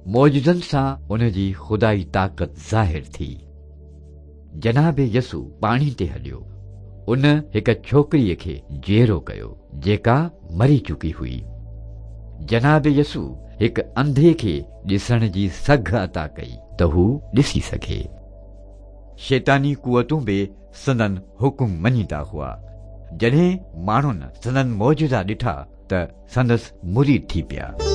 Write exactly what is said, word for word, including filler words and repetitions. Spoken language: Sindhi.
معجزن سان ان جي خدائي طاقت ظاهر ٿي. جناب يسوع پاڻي تي هليو. ان هڪ ڇوڪريءَ کي جيئرو ڪيو جيڪا مري چڪي هئي. جناب يسوع هڪ انڌي کي ڏسڻ جي سگهه عطا ڪئي ته هو ڏسي سگهي. شيطاني قوتون به سندن حڪم مڃيندا هئا. جڏهن ماڻهن سندن معجزا ڏٺا ته سندس مريد ٿي پيا.